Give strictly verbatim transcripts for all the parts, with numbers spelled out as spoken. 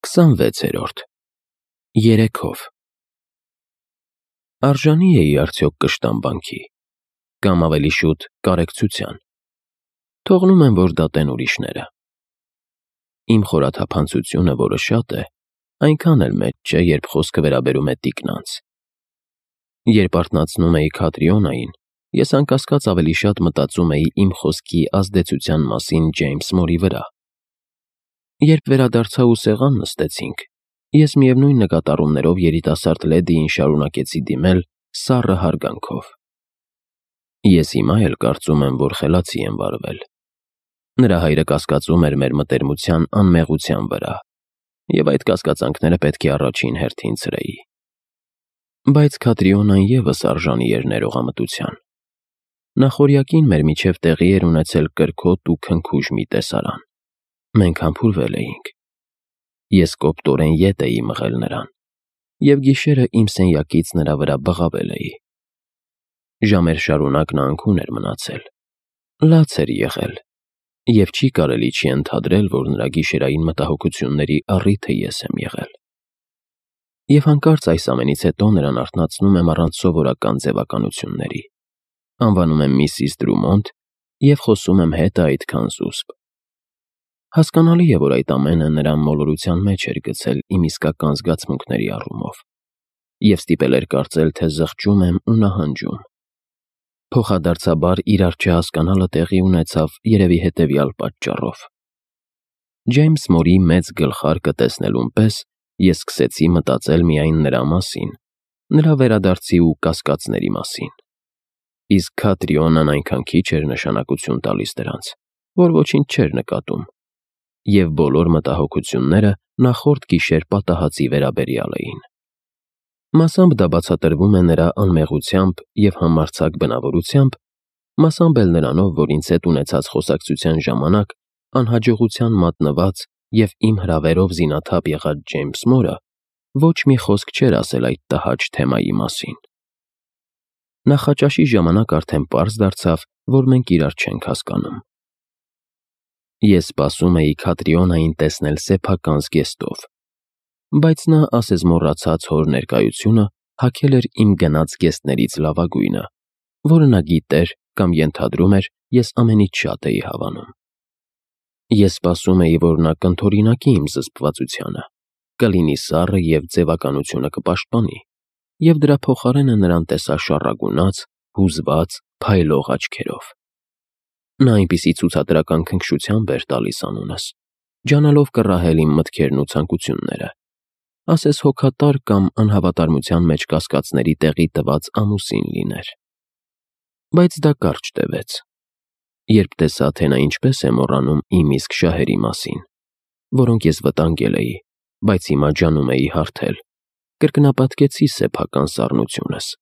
քսանվեցերորդ Երեքով Արժանի էի արդյոք կշտամ բանքի, կամ ավելի շուտ կարեկցության, թողնում եմ, որ դատեն ուրիշները։ Իմ խորաթափանցությունը, որը շատ է, այնքան էլ մեծ չէ, երբ խոսքը վերաբերում է տիկնանց։ Երբ արթնացնում էի Քատրիոնային, ես անկասկած ավելի շատ մտածում էի իմ խոսքի ազդեցության մասին Ջեյմս Մորի վրա։ Երբ վերադարձա ու սեղան նստեցինք, ես միևնույն նկատառումներով երիտասարդ լեդիին շարունակեցի դիմել սառը հարգանքով։ Ես հիմա էլ կարծում եմ, որ խելացի եմ վարվել։ Նրա հայրը կասկածում էր մեր մտերմության անմեղության վրա, և այդ կասկածանքները պետք է առաջին հերթին ցրեի։ Բայց Քատրիոնան ևս արժանի էր ներողամտության։ Նախօրյակին մեր միջև տեղի էր ունեցել կրքոտ ու քնքուշ մի տեսարան։ Մենք համբուրվել էինք։ Ես կոպտորեն ետ էի մղել նրան, և գիշերը իմ սենյակից նրա վրա բղավել էի։ Ժամեր շարունակ նա անքուն էր մնացել։ Լաց էր եղել, և չի կարելի չի ընդհանրել, որ նրա գիշերային մտահոգությունների առիթը ես եմ եղել։ Եվ հանկարծ այս ամենից հետո նրան արթնացնում եմ առանց սովորական ձևականությունների, անվանում եմ միսիս Դրումոնդ և խոսում եմ հետը այդքան զուսպ։ Հասկանալի է, որ այդ ամենը նրան մոլորության մեջ էր գցել իմ իսկական զգացմունքների առումով, և ստիպել էր կարծել, թե զղջում եմ ու նահանջում։ Փոխադարձաբար իրար չհասկանալը տեղի ունեցավ երևի հետևյալ պատճառով. Ջեյմս Մորի մեծ գլխարկը տեսնելուն պես ես սկսեցի մտածել միայն նրա մասին, նրա վերադարձի ու կասկածների մասին։ Իսկ Քատրիոնան այնքան քիչ էր նշանակություն տալիս դրանց, որ ոչինչ չէր նկատում, և բոլոր մտահոգությունները նախորդ գիշեր պատահածի վերաբերյալ էին։ Մասամբ դա բացատրվում է նրա անմեղությամբ և համարձակ բնավորությամբ, մասամբ էլ նրանով, որ ինձ հետ ունեցած խոսակցության ժամանակ անհաջողության մատնված և իմ հրավերով զինաթափ եղած Ջեյմս Մորը ոչ մի խոսք չէր ասել այդ տհաճ թեմայի մասին։ Նախաճաշի ժամանակ արդեն պարզ դարձավ, որ մենք իրար չենք հասկանում։ Ես սպասում էի Քատրիոնային տեսնել սեփական զգեստով, բայց նա, ասես մոռացած հոր ներկայությունը, հագել էր իմ գնած զգեստներից լավագույնը, որը նա գիտեր կամ ենթադրում էր, ես ամենից շատ էի հավանում։ Ես սպասում էի, որ նա կընդօրինակի իմ զսպվածությանը, կլինի սառը և ձևականությունը կպաշտպանի, և դրա փոխարենը նրան տեսա շառագունած, հուզված, փայլող աչքերով։ Նա այնպիսի ցուցադրական քնքշությամբ էր տալիս անունս, ջանալով կռահել իմ մտքերն ու ցանկությունները, ասես հոգատար կամ անհավատարմության մեջ կասկածների տեղի տված ամուսին լիներ։ Բայց դա կարճ տևեց, երբ տեսա, թե նա ինչպես է մոռանում իմ իսկ շահերի մասին, որոնք ես վտանգել էի, բայց հիմա ջանում էի հարթել, կրկնապատկեցի սեփական սառնությունս,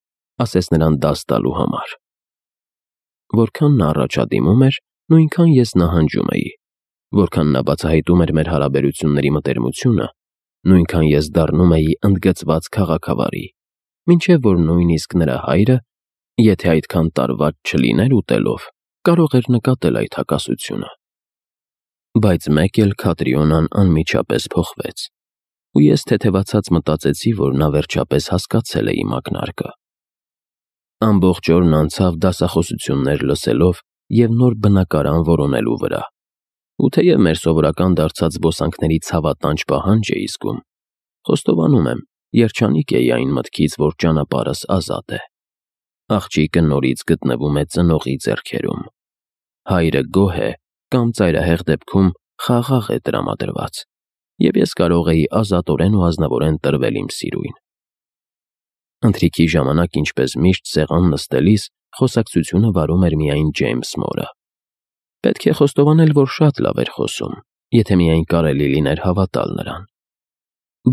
ասես նրան դաս տալու համար։ Որքան նա առաջադիմում էր, նույնքան ես նահանջում էի, որքան նա բացահայտում էր մեր հարաբերությունների մտերմությունը, նույնքան ես դառնում էի ընդգծված քաղաքավարի, մինչև որ նույնիսկ նրա հայրը, եթե այդքան տարված չլիներ ուտելով, կարող էր նկատել այդ հակասությունը։ Բայց մեկ էլ Քատրիոնան անմիջապես փոխվեց, ու ես թեթևացած մտածեցի, որ նա վերջապես հասկացել է իմ ակնարկը։ Ամբողջ օրն անցավ դասախոսություններ լսելով և նոր բնակարան որոնելու վրա, ու թեև մեր սովորական դարձած զբոսանքների ցավատանջ պահանջ էի զգում, խոստովանում եմ, երջանիկ էի այն մտքից, որ ճանապարհս ազատ է։ Աղջիկը նորից գտնվում է ծնողի ձեռքերում։ Հայրը գոհ է կամ ծայրահեղ դեպքում խաղաղ է տրամադրված, և ես կարող էի ազատորեն ու ազնվորեն տրվել իմ սիրույն։ Ընթրիքի ժամանակ, ինչպես միշտ սեղան նստելիս, խոսակցությունը վարում էր միայն Ջեյմս Մորը։ Պետք է խոստովանել, որ շատ լավ էր խոսում, եթե միայն կարելի լիներ հավատալ նրան։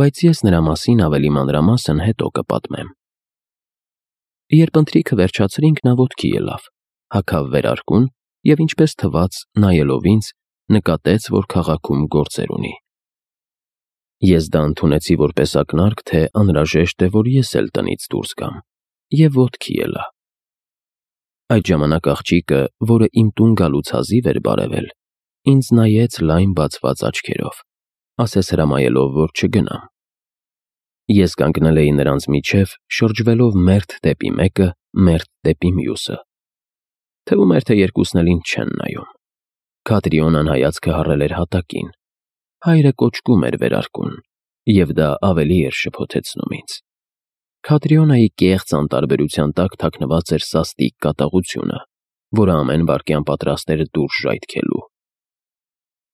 Բայց ես նրա մասին ավելի մանրամասն հետո կպատմեմ։ Երբ ընթրիքը վերջացրինք, նա ոտքի ելավ, հագավ վերարկուն և, ինչպես թվաց, նայելով ինձ, նկատեց, որ քաղաքում գործեր ունի։ Ես դա ընդունեցի որպես ակնարկ, թե անհրաժեշտ է, որ ես էլ տնից դուրս գամ, և ոտքի ելա։ Այդ ժամանակ աղջիկը, որը իմ տուն գալուց հազիվ էր բարևել, ինձ նայեց լայն բացված աչքերով, ասես հրամայելով, որ չգնամ։ Ես կանգնել էի նրանց միջև, շրջվելով մերթ դեպի մեկը, մերթ դեպի մյուսը։ Թվում էր, թե երկուսն էլ ինձ չեն նայում։ Քատրիոնան հայացքը հառել էր հատակին։ Հայրը կոճկում էր վերարկուն, և դա ավելի էր շփոթեցնում ինձ։ Քատրիոնայի կեղծ անտարբերության տակ թաքնված էր սաստիկ կատաղությունը, որը ամեն վայրկյան պատրաստ էր դուրս ժայթքելու։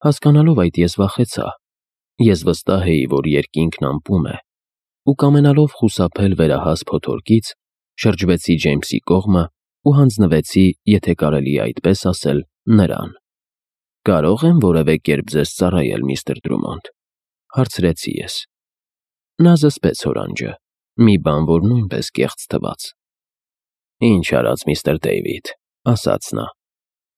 Հասկանալով այդ, ես վախեցա։ Ես վստահ էի, որ երկինքն ամպում է, ու կամենալով խուսափել վերահաս փոթորկից, շրջվեցի Ջեյմսի կողմը ու հանձնվեցի, եթե կարելի է այդպես ասել, նրան։ «Կարո՞ղ եմ որևէ կերպ ձեզ ծառայել, միստր Դրումոնդ», հարցրեցի ես։ Նա զսպեց հորանջը, մի բան, որ նույնպես կեղծ թվաց։ «Ինչ արած, միստր Դեյվիդ», ասաց նա,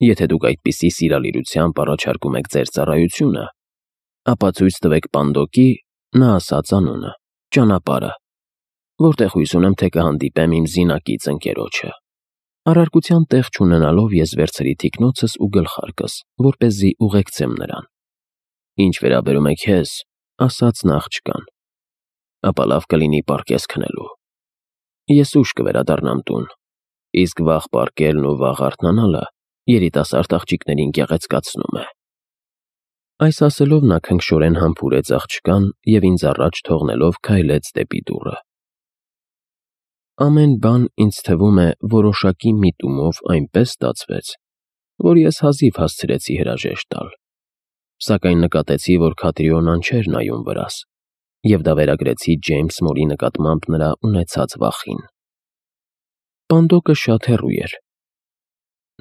«եթե դուք այդպիսի սիրալիրությամբ առաջարկում եք ձեր ծառայությունը, ապա ցույց տվեք Պանդոկի, նա ասաց անունը, ճանապարհը, որտեղ հույս ունեմ, թե կհանդիպեմ իմ զինակից ընկերոջը»։ Առարկության տեղ չունենալով ես վերցրի թիկնոցս ու գլխարկս, որպեսզի ուղեկցեմ նրան։ «Ինչ վերաբերում է քեզ», ասաց նա աղջկան, «ապա լավ կլինի պառկես քնելու։ Ես ուշ կվերադառնամ տուն, իսկ վաղ պառկելն ու վաղ արթնանալը երիտասարդ աղջիկներին գեղեցկացնում է»։ Այս ասելով նա քնքշորեն համբուրեց աղջկան և ինձ առաջ թողնելով քայլեց դեպի դուռը։ Ամեն բան, ինձ թվում է, որոշակի միտումով այնպես ստացվեց, որ ես հազիվ հասցրեցի հրաժեշտ տալ։ Սակայն նկատեցի, որ Քատրիոնան չէր նայում վրաս, և դա վերագրեցի Ջեյմս Մորի նկատմամբ նրա ունեցած վախին։ Պանդոկը շատ հեռու էր։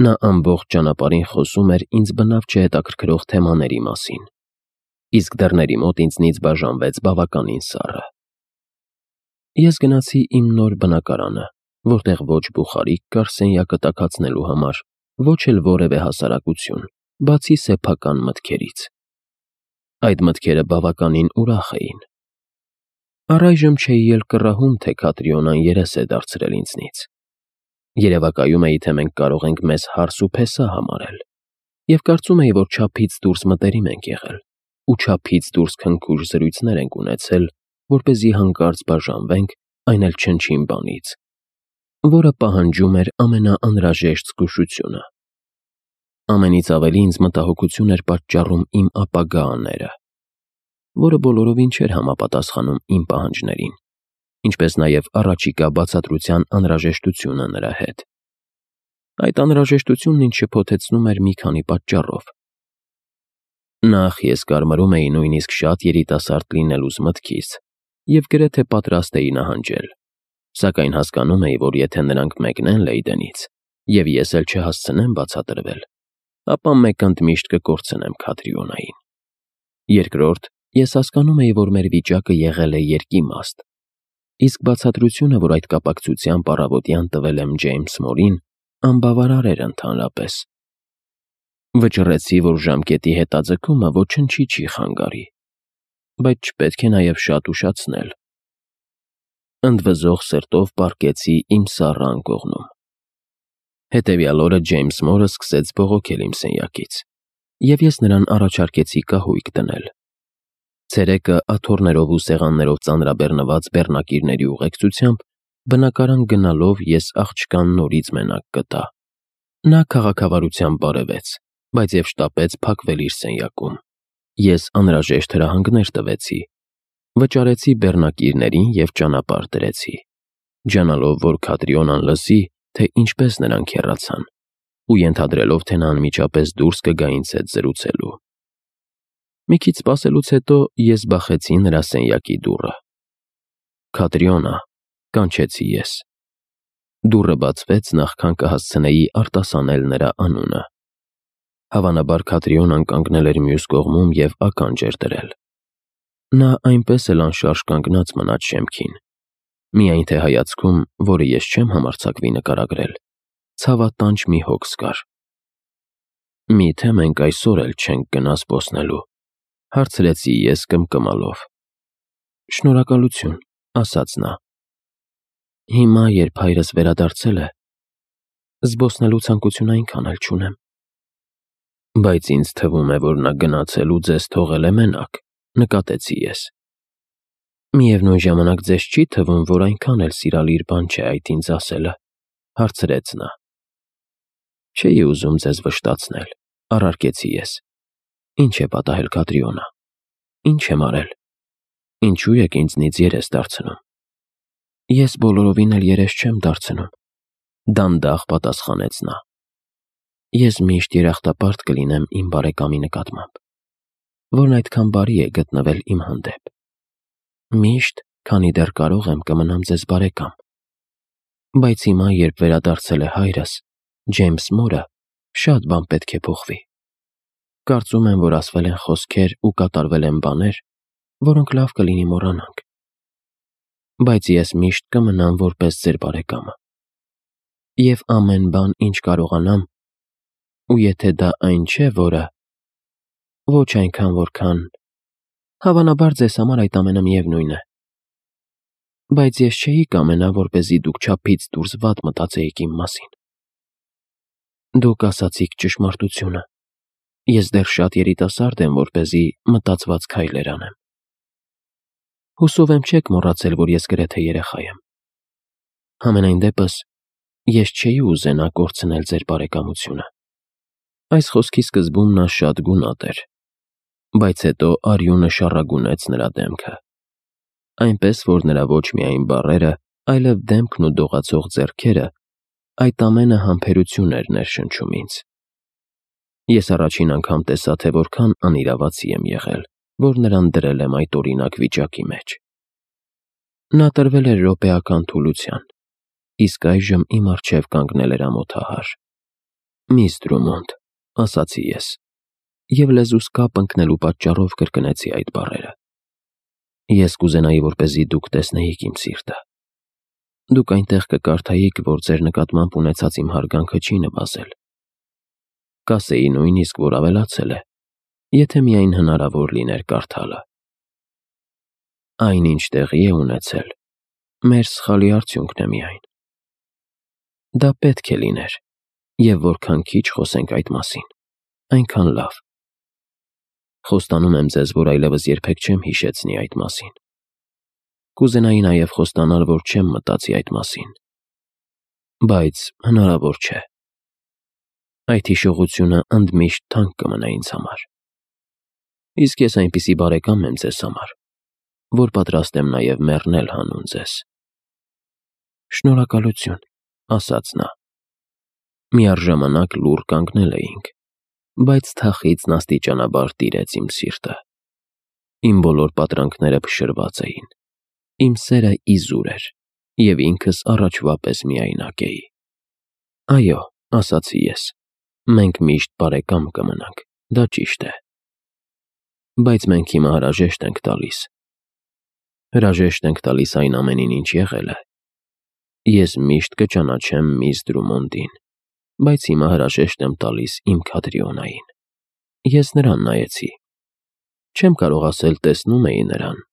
Նա ամբողջ ճանապարհին խոսում էր ինձ բնավ չհետաքրքրող թեմաների մասին, իսկ դռների մոտ ինձնից բաժանվեց բավականին սառը։ Ես գնացի իմ նոր բնակարանը, որտեղ ոչ բուխարիկ կար սենյակը տաքացնելու համար, ոչ էլ որևէ հասարակություն, բացի սեփական մտքերից։ Այդ մտքերը բավականին ուրախ էին։ Առայժմ չէի էլ կռահում, թե Քատրիոնան երես է դարձրել ինձնից։ Երևակայում էի, թե մենք կարող ենք մեզ հարս ու փեսա համարել, և կարծում էի, որ չափից դուրս մտերիմ ենք եղել, ու չափից դուրս քնքուշ զրույցներ ենք ունեցել, որպեսզի հանկարծ բաժանվենք, այն էլ չնչին բանից, որը պահանջում էր ամենաանհրաժեշտ զգուշությունը։ Ամենից ավելի ինձ մտահոգություն էր պատճառում իմ ապագա աները, որը բոլորովին չէր համապատասխանում իմ պահանջներին, ինչպես նաև առաջիկա բացատրության անհրաժեշտությունը նրա հետ։ Այդ անհրաժեշտությունն ինձ շփոթեցնում էր մի քանի պատճառով։ Նախ, ես կարմարում էի նույնիսկ շատ երիտասարդ լինելուս մտքից և գրեթե պատրաստ էի նահանջել, սակայն հասկանում էի, որ եթե նրանք մեկնեն Լեյդենից, և ես էլ չհասցնեմ բացատրվել, ապա մեկ ընդմիշտ կկորցնեմ Քատրիոնային։ Երկրորդ, ես հասկանում էի, որ մեր վիճակը եղել է երկիմաստ, իսկ բացատրությունը, որ այդ կապակցությամբ առավոտյան տվել եմ Ջեյմս Մորին, անբավարար էր ընդհանրապես։ Վճռեցի, որ ժամկետի հետաձգումը ոչնչի չի խանգարի, բայց չպետք է նաև շատ ուշացնել։ Ընդվզող սրտով պառկեցի իմ սառը անկողնում։ Հետևյալ օրը Ջեյմս Մորը սկսեց բողոքել իմ սենյակից, և ես նրան առաջարկեցի կահույք դնել։ Ցերեկը աթոռներով ու սեղաններով ծանրաբեռնված բեռնակիրների ուղեկցությամբ բնակարան գնալով ես աղջկան նորից մենակ գտա։ Նա քաղաքավարությամբ բարևեց, բայց և շտապեց փակվել իր սենյակում։ Ես անհրաժեշտ հրահանգներ տվեցի, վճարեցի բեռնակիրներին և ճանապարհ դրեցի, ջանալով, որ Քատրիոնան լսի, թե ինչպես նրանք հեռացան, ու ենթադրելով, թե նա անմիջապես դուրս կգա ինձ հետ զրուցելու։ Մի քիչ սպասելուց հետո ես բախեցի նրա սենյակի դուռը։ «Քատրիոնա», կանչեցի ես։ Դուռը բացվեց, նախքան կհասցնեի արտասանել նրա անունը։ Հավանաբար Քատրիոնան կանգնել էր մյուս կողմում և ականջ էր դրել։ Նա այնպես էլ անշարժ կանգնած մնաց շեմքին, միայն թե հայացքում, որը ես չեմ համարձակվի նկարագրել, ցավատանջ մի հոգս կար։ «Մի՞թե մենք այսօր էլ չենք գնա զբոսնելու», հարցրեցի ես կմկմալով։ «Շնորհակալություն», ասաց նա։ «Հիմա, երբ հայրս վերադարձել է, զբոսնելու ցանկություն այնքան էլ չունեմ»։ «Բայց ինձ թվում է, որ նա գնացել ու ձեզ թողել է մենակ, նկատեցի ես։ Միևնույն ժամանակ ձեզ չի թվում, որ այնքան էլ սիրալիր բան չէ այդ ինձ ասելը, հարցրեց նա։ Չէի ուզում ձեզ վշտացնել, առարկեցի ես։ Ինչ է պատահել, Կատրիոնա։ Ինչ եմ արել։ Ինչու եք ինձնից երես դարձնում։ Ես բոլորովին էլ երես չեմ դարձնում, դանդաղ պատասխանեց նա։ Ես միշտ երախտապարտ կլինեմ իմ բարեկամի նկատմամբ, որն այդքան բարի է գտնվել իմ հանդեպ։ Միշտ, քանի դեռ կարող եմ կմնամ ձեզ բարեկամ։ Բայց հիմա, երբ վերադարձել է հայրս, Ջեյմս Մորը, շատ բան պետք է փոխվի։ Կարծում եմ, որ ասվել են խոսքեր ու կատարվել են բաներ, որոնք լավ կլինի մոռանանք։ Բայց ես միշտ կմնամ որպես ձեր բարեկամը։ Եվ ամեն բան, ինչ կարողանամ, ու եթե դա այն չէ, որը ոչ այնքան, որքան հավանաբար ձեզ համար այդ ամենը միևնույն է։ Բայց ես չէի կամենա, որպեսզի դուք չափից դուրս վատ մտածեիք իմ մասին։ Դուք ասացիք ճշմարտությունը։ Ես դեռ շատ երիտասարդ եմ, որպեսզի մտածված քայլեր անեմ։ Հուսով եմ չեք մոռացել, որ ես գրեթե երեխա եմ։ Համենայն դեպս, ես չէի ուզենա կորցնել ձեր բարեկամությունը։ Այս խոսքի սկզբում նա շատ գունատ էր, բայց հետո արյունը շառագունեց նրա դեմքը։ Այնպես, որ նրա ոչ միայն բառերը, այլև դեմքն ու դողացող ձեռքերը, այդ ամենը համբերություն էր ներշնչում ինձ։ Ես առաջին անգամ տեսա, թե որքան անիրավացի եմ եղել, որ նրան դրել եմ այդ օրինակ վիճակի մեջ։ Նա տրվել էր րոպեական թուլության, իսկ այժմ իմ առջև կանգնել էր ամոթահար։ Միս Դրումոնդ, ասացի ես, և լեզուս կապ ընկնելու պատճառով կրկնեցի այդ բառերը։ Ես կուզենայի, որպեսզի դուք տեսնեիք իմ սիրտը։ Դուք այնտեղ կկարդայիք, որ ձեր նկատմամբ ունեցած իմ հարգանքը չի նվազել։ Կասեի նույնիսկ, որ ավելացել է, եթե միայն հնարավոր լիներ կարդալը։ Այն, ինչ տեղի է ունեցել, մեր սխալի արդյունքն է միայն։ Դա պետք է լիներ, և որքան քիչ խոսենք այդ մասին, այնքան լավ։ Խոստանում եմ ձեզ, որ այլևս երբեք չեմ հիշեցնի այդ մասին։ Կուզենայի նաև խոստանալ, որ չեմ մտածի այդ մասին։ Բայց հնարավոր չէ։ Այդ հիշողությունը ընդմիշտ թանկ կմնա ինձ համար։ Իսկ ես այնպիսի բարեկամ եմ ձեզ համար, որ պատրաստ եմ նաև մեռնել հանուն ձեզ։ Շնորհակալություն, ասաց նա։ Միառժամանակ լուռ կանգնել էինք, բայց թախիծն աստիճանաբար տիրեց իմ սիրտը։ Իմ բոլոր պատրանքները փշրված էին, իմ սերը իզուր էր, և ինքս առաջվա պես միայնակ էի։ Այո, ասացի ես, մենք միշտ բարեկամ կմնանք, դա ճիշտ է։ Բայց մենք հիմա հրաժեշտ ենք տալիս։ Հրաժեշտ ենք տալիս այն ամենին, ինչ եղել է։ Ես միշտ կճանաչեմ միս Դրումոնդին, բայց հիմա հրաժեշտ եմ տալիս իմ Քատրիոնային։ Ես նրան նայեցի։ Չեմ կարող ասել տեսնում էի նրան,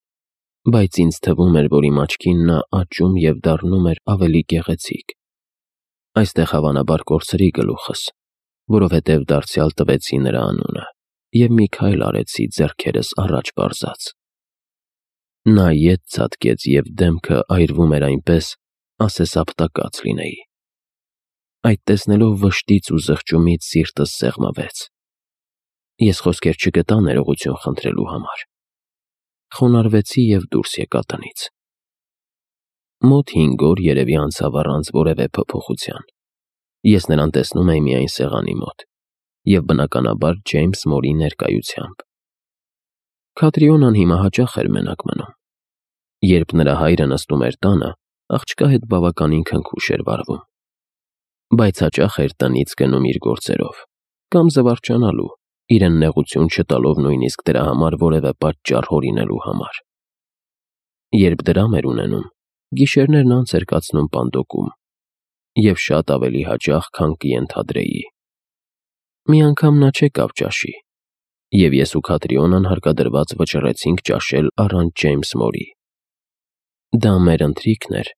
բայց ինձ թվում էր, որ իմ աչքին նա աճում և դառնում էր ավելի գեղեցիկ։ Այստեղ հավանաբար կորցրի գլուխս, որովհետև դարձյալ տվեցի նրա անունը և մի քայլ արեցի ձեռքերս առաջ պարզած։ Նա ետ ցատկեց և դեմքը այրվում էր այնպես, ասես ապտակած լինեի։ Այդ տեսնելով վշտից ու զղջումից սիրտս սեղմվեց։ Ես խոսքեր չգտա ներողություն խնդրելու համար։ Խոնարհվեցի և դուրս եկա տնից։ Մոտ հինգ օր երևի անցավ առանց որևէ փոփոխության։ Ես նրան տեսնում էի միայն սեղանի մոտ և բնականաբար Ջեյմս Մորի ներկայությամբ։ Քատրիոնան հիմա հաճախ էր մենակ մնում։ Երբ նրա հայրը նստում էր տանը, աղջկա հետ բավականին քնքուշ էր վարվում։ Բայց հաճախ էր տնից գնում իր գործերով, կամ զվարճանալու, իրեն նեղություն չտալով նույնիսկ դրա համար որևէ պատճառ հորինելու համար։ Երբ դրամ էր ունենում, գիշերներն անց էր կացնում պանդոկում, և շատ ավելի հաճախ, քան կենթադրեի։ Մի անգամ նա չեկավ ճաշի, և ես ու Քատրիոնան հարկադրված վճռեցինք ճաշել առանց Ջեյմս Մորի։ Դա մեր ընթրիքն էր,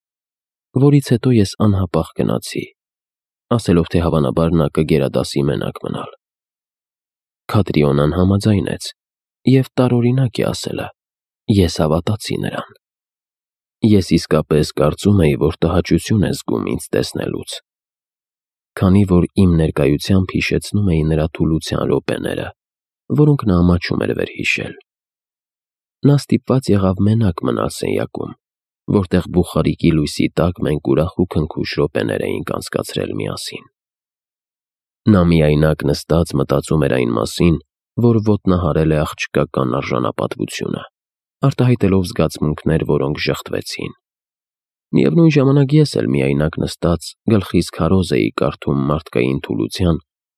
որից հետո ես անհապաղ գնացի, ասելով, թե հավանաբար նա կգերադասի մենակ մնալ։ Քատրիոնան համաձայնեց, Եվ տարօրինակ է ասելը, ես հավատացի նրան։ Ես իսկապես կարծում էի, որ տհաճություն է զգում ինձ տեսնելուց, քանի որ իմ ներկայությամբ հիշեցնում էի նրա թուլության րոպեները, որոնք նա ամաչում էր վերհիշել։ Նա ստիպված եղավ մենակ մնալ սենյակում, որտեղ բուխարիկի լույսի տակ մենք ուրախ ու քնքուշ րոպեներ էինք անցկացրել միասին։ Նա միայնակ նստած մտածում էր այն մասին, որ ոտնահարել է աղջկական արժանապատվությունը, արտահայտելով զգացմունքներ, որոնք ժխտվեցին։ Միևնույն ժամանակ ես էլ միայնակ նստած գլխիս քարոզ էի կարդում մարդկային թուլության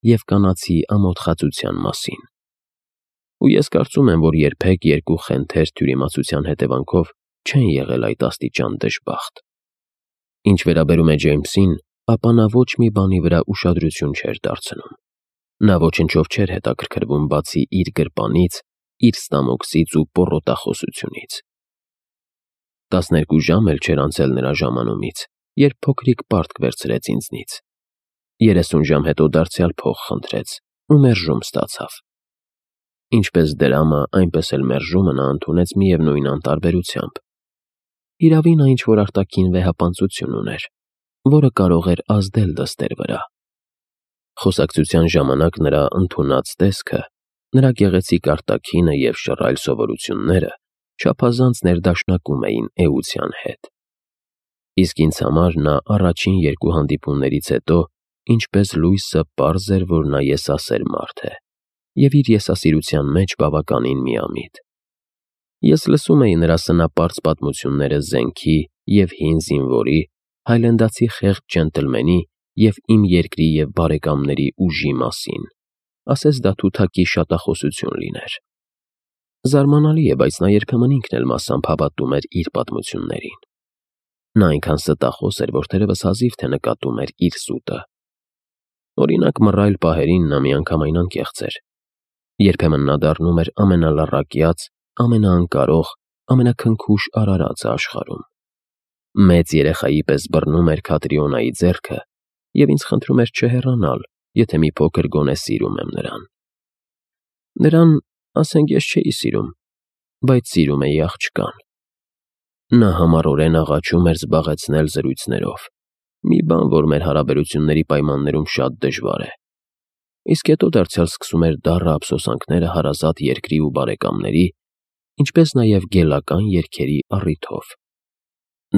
և կանացի ամոթխածության մասին։ Ու ես կարծում եմ, որ երբեք երկու խենթեր թյուրիմացության հետևանքով չեն եղել այդ աստիճան դժբախտ։ Ինչ վերաբերում է Ջեյմսին, ապա նա ոչ մի բանի վրա ուշադրություն չէր դարձնում։ Նա ոչնչով չէր հետաքրքրվում բացի իր գրպանից, իր ստամոքսից ու պոռոտախոսությունից։ Տասներկու ժամ էլ չէր անցել նրա ժամանումից, երբ փոքրիկ պարտք վերցրեց ինձնից։ Երեսուն ժամ հետո դարձյալ փող խնդրեց ու մերժում ստացավ։ Ինչպես դրամը, այնպես էլ մերժումը նա ընդունեց միևնույն անտարբերությամբ։ Իրավի նա ինչ-որ արտաքին վեհապանծություն ուներ, որը կարող էր ազդել դստեր վրա։ Խոսակցության ժամանակ նրա ընդունած տեսքը, նրա գեղեցիկ արտաքինը և շռայլ սովորությունները չափազանց ներդաշնակում էին էության հետ։ Իսկ ինձ համար նա առաջին երկու հանդիպումներից հետո, ինչպես լույսը, պարզ էր, որ նա եսասեր մարդ է և իր եսասիրության մեջ բավականին միամիտ։ Ես լսում էի նրա սնապարծ պատմությունները զենքի և հին զինվորի, հայլենդացի խեղճ ջենտլմենի և իմ երկրի և բարեկամների ուժի մասին, ասես դա թութակի շատախոսություն լիներ։ Զարմանալի է, բայց նա երբեմն ինքն էլ մասամբ հավատում էր իր պատմություններին։ Նա այնքան ստախոս էր, որ թերևս հազիվ թե նկատում էր իր սուտը։ Օրինակ, մռայլ պահերին նա միանգամայն անկեղծ էր։ Երբեմն նա դառնում էր ամենալռակյաց, ամենաանկարող, ամենաքնքուշ արարածը աշխարհում։ Մեծ երեխայի պես բռնում էր Քատրիոնայի ձեռքը և ինձ խնդրում էր չհեռանալ, եթե մի փոքր գոնե սիրում եմ նրան։ Նրան, ասենք, ես չէի սիրում, բայց սիրում էի աղջկան։ Նա համառորեն աղաչում էր զբաղեցնել զրույցներով, մի բան, որ մեր հարաբերությունների պայմաններում շատ դժվար է։ Իսկ հետո դարձյալ սկսում էր դառը ափսոսանքները հարազատ երկրի ու բարեկամների, ինչպես նաև գելական երգերի առիթով։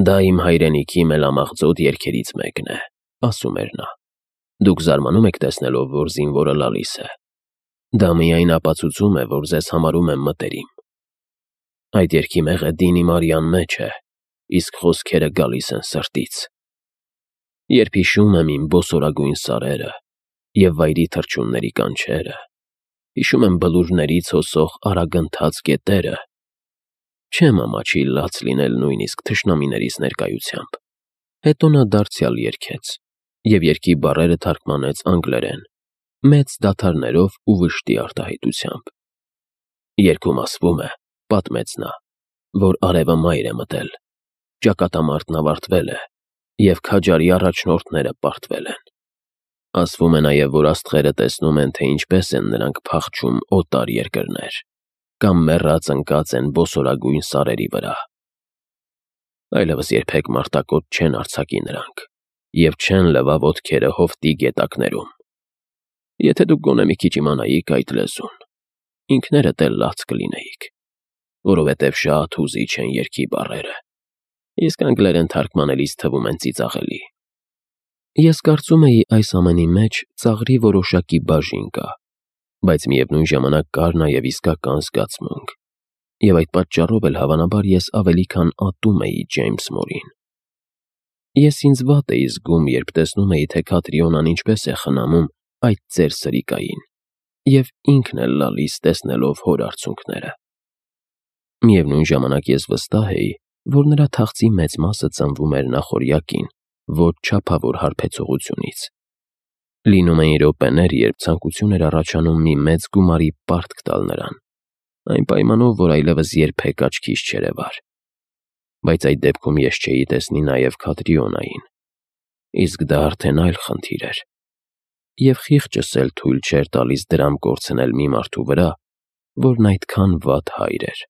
«Դա իմ հայրենիքի մելամաղձոտ երգերից մեկն է», ասում էր նա։ «Դուք զարմանում եք տեսնելով, որ զինվորը լալիս է։ Դա միայն ապացուցում է, որ ձեզ համարում եմ մտերիմ։ Այդ երգի մեղեդին իմ արյան մեջ է, իսկ խոսքերը գալիս են սրտից։ Երբ հիշում եմ իմ բոսորագույն սարերը և վայրի թռչունների կանչերը, հիշում եմ բլուրներից հոսող արագընթաց գետերը, չեմ ամաչի լաց լինել նույնիսկ թշնամիներիս ներկայությամբ»։ Հետո նա դարձյալ երգեց և երգի բառերը թարգմանեց անգլերեն, մեծ դադարներով ու վշտի արտահայտությամբ։ Երգում ասվում է, պատմեց նա, որ արևը մայր է մտել, ճակատամարտն ավարտվել է և քաջարի առաջնորդները պարտվել են։ Ասվում է նաև, որ աստղերը տեսնում են, թե ինչպես են նրանք փախչում օտար երկրներ կամ մեռած ընկած են բոսորագույն սարերի վրա։ Այլևս երբեք մարտակոտ չեն արձակի նրանք և չեն լվա ոտքերը հովտի գետակներում։ Եթե դուք գոնե մի քիչ իմանայիք այդ լեզուն, ինքներդ էլ լաց կլինեիք, որովհետև շատ հուզիչ են երգի բառերը, իսկ անգլերեն թարգմանելիս թվում են ծիծաղելի։ Ես կարծում էի այս ամենի մեջ ծաղրի որոշակի բաժին կա, բայց միևնույն ժամանակ կար նաև իսկական զգացմունք, և այդ պատճառով էլ հավանաբար ես ավելի քան ատում էի Ջեյմս Մորին։ Ես ինձ վատ էի զգում, երբ տեսնում էի, թե Քատրիոնան ինչպես է խնամում այդ ծեր սրիկային և ինքն էլ լալիս տեսնելով հոր արցունքները։ Միևնույն ժամանակ ես վստահ էի, որ նրա թախծի մեծ մասը ծնվում էր նախօրյակին, ոչ չափավոր հարբեցողությունից։ Լինում էին րոպեներ, երբ ցանկություն էր առաջանում մի մեծ գումարի պարտք տալ նրան, այն պայմանով, որ այլևս երբեք աչքիս չերևար։ Բայց այդ դեպքում ես չէի տեսնի նաև Քատրիոնային, իսկ դա արդեն այլ խնդիր էր։ Եվ խիղճս էլ թույլ չէր տալիս դրամ կորցնել մի մարդու վրա, որն այդքան վատ հայր էր։